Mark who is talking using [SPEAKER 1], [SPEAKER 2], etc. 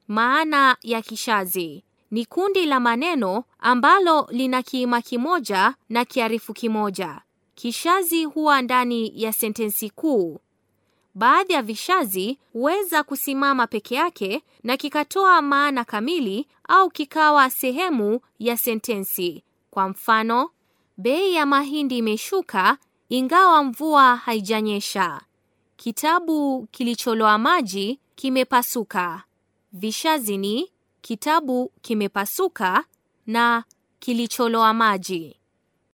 [SPEAKER 1] Maana ya kishazi ni kundi la maneno ambalo lina kiima kimoja na kiarifu kimoja. Kishazi huwa ndani ya sentensi kuu. Baadhi ya vishazi huweza kusimama peke yake na kikatoa maana kamili au kikawa sehemu ya sentensi. Kwa mfano, bei ya mahindi imeshuka ingawa mvua haijanyesha. Kitabu kilicholoa maji kimepasuka. Vishazi ni kitabu kimepasuka na kilicholoa maji.